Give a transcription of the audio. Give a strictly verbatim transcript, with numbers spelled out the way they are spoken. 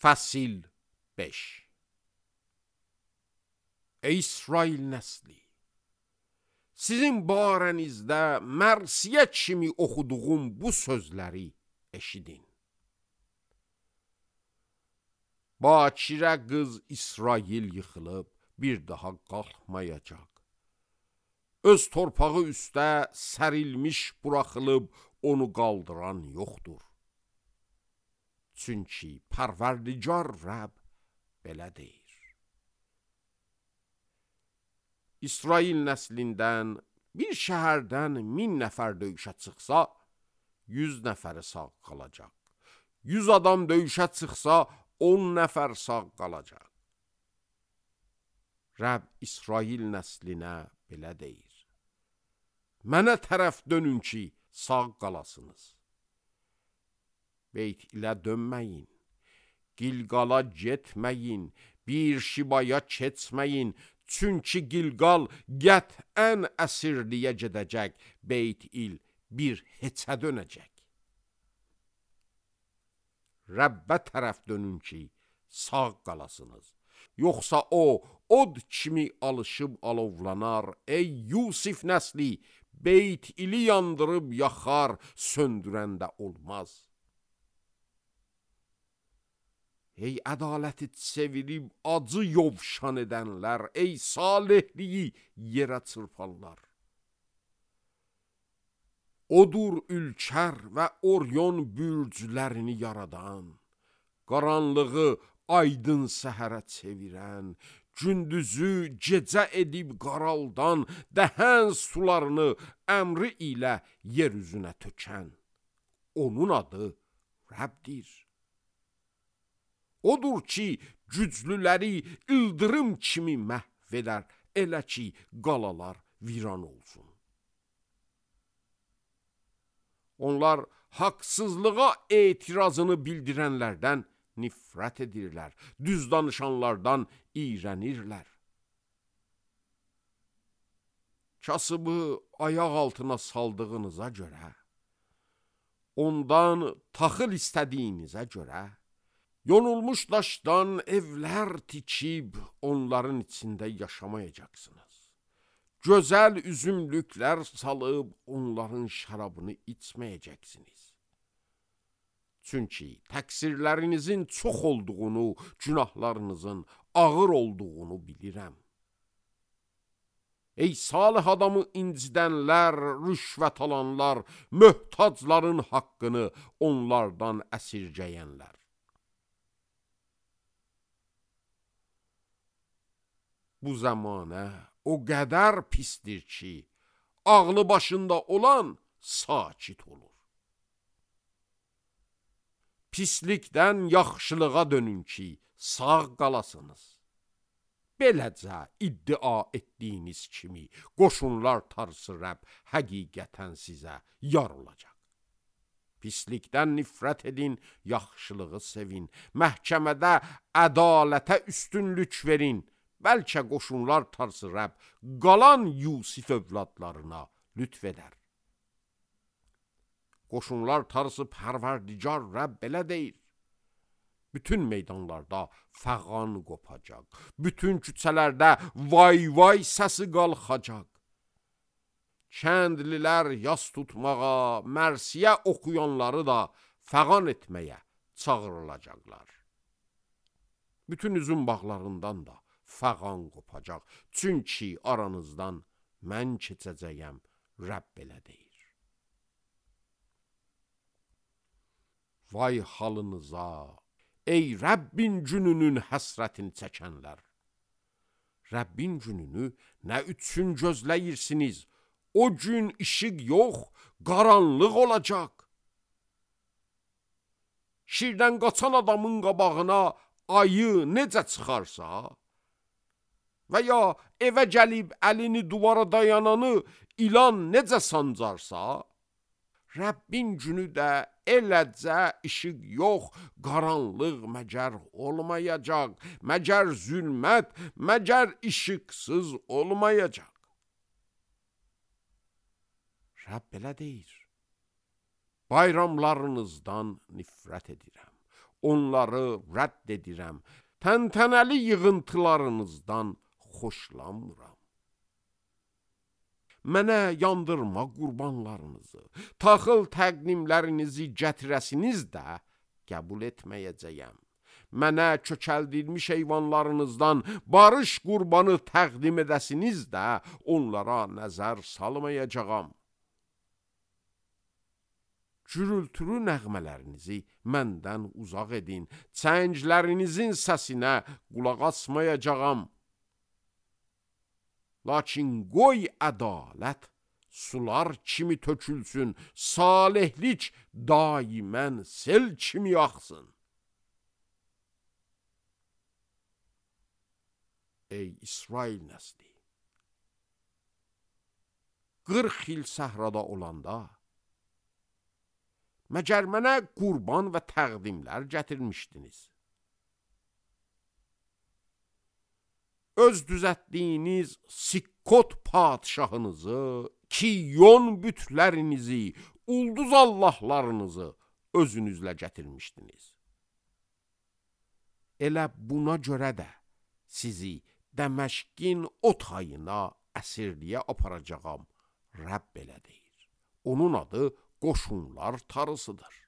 Fəsil beş. Ey İsrail nəsli, sizin barənizdə mərsiyə kimi oxuduğum bu sözləri eşidin. Bakirə qız İsrail yıxılıb, bir daha qalxmayacaq. Öz torpağı üstə sərilmiş buraxılıb, onu qaldıran yoxdur. Çünki Pərverdigar Rəbb belə deyir. İsrail nəslindən bir şəhərdən min nəfər döyüşə çıxsa, yüz nəfəri sağ qalacaq. Yüz adam döyüşə çıxsa, on nəfər sağ qalacaq. Rəbb İsrail nəslinə belə deyir. Mənə tərəf dönün ki, sağ qalasınız. Beyt ilə dönməyin, Gilqala getməyin, bir şibaya keçməyin, çünki Gilqal qətən əsirliyə gedəcək, Beyt il bir heçə dönəcək. Rəbbə tərəf dönün ki, sağ qalasınız. Yoxsa o, od kimi alışıb alovlanar, ey Yusif nəsli, Beyt ili yandırıb yaxar, söndürəndə olmaz. Ey ədaləti sevirib acı yovşan edənlər, ey salihliyi yerə çırparlar. Odur ülkər və Oryon bürclərini yaradan, qaranlığı aydın səhərə çevirən, gündüzü gecə edib qaraldan, dəhən sularını əmri ilə yer üzünə tökən. Onun adı Rəbdir. Odur ki, güclüləri ildırım kimi məhv edər, elə ki, qalalar viran olsun. Onlar haqsızlığa etirazını bildirənlərdən nifrət edirlər, düz danışanlardan iyrənirlər. Kasıbı ayaq altına saldığınıza görə, ondan taxıl istədiyinizə görə, yonulmuş daşdan evlər tikib, onların içində yaşamayacaqsınız. Gözəl üzümlüklər salıb, onların şərabını içməyəcəksiniz. Çünki təqsirlərinizin çox olduğunu, günahlarınızın ağır olduğunu bilirəm. Ey salih adamı incidənlər, rüşvət alanlar, möhtacların haqqını onlardan əsirgəyənlər. Bu zəmanə o qədər pisdir ki, ağlı başında olan sakit olur. Pislikdən yaxşılığa dönün ki, sağ qalasınız. Beləcə iddia etdiyiniz kimi qoşunlar tarısı Rəbb həqiqətən sizə yar olacaq. Pislikdən nifrət edin, yaxşılığı sevin, məhkəmədə ədalətə üstünlük verin. Bəlkə qoşunlar tarısı Rəbb qalan Yusif övladlarına lütf edər. Qoşunlar tarısı Pərverdigar Rəbb belə deyir. Bütün meydanlarda fəğan qopacaq, bütün küçələrdə vay vay səsi qalxacaq. Kəndlilər yas tutmağa, mərsiyə oxuyanları da fəğan etməyə çağırılacaqlar. Bütün üzüm bağlarından da fəğan qopacaq, çünki aranızdan mən keçəcəyəm, Rəbb belə deyir. Vay halınıza, ey Rəbbin gününün həsrətini çəkənlər! Rəbbin gününü nə üçün gözləyirsiniz? O gün işıq yox, qaranlıq olacaq. Şirdən qaçan adamın qabağına ayı necə çıxarsa, və ya evə gəlib əlini duvara dayananı ilan necə sancarsa, Rəbbin günü də eləcə işıq yox, qaranlıq məgər olmayacaq, məgər zülmət, məgər işıqsız olmayacaq. Rəbb belə deyir. Bayramlarınızdan nifrət edirəm. onları rədd edirəm. Təntənəli yığıntılarınızdan xoşlanmıram. Mənə yandırma qurbanlarınızı, taxıl təqdimlərinizi gətirəsiniz də qəbul etməyəcəyəm. Mənə kökəldilmiş heyvanlarınızdan barış qurbanı təqdim edəsiniz də onlara nəzər salmayacağam. Gürültülü nəğmələrinizi məndən uzaq edin, çənglərinizin səsinə qulaq asmayacağam. Lakin qoy ədalət sular kimi tökülsün, salihlik daimən sel kimi axsın. Ey İsrail nəsli! qırx il səhrada olanda, məgər mənə qurban və təqdimlər gətirmişdiniz. Öz düzətdiyiniz Sikkot padişahınızı, Kiyon bütlərinizi, ulduz allahlarınızı özünüzlə gətirmişdiniz. Elə buna görə də sizi Dəməşqin o tayına əsirliyə aparacağam, Rəbb elə deyir. Onun adı qoşunlar tarısıdır.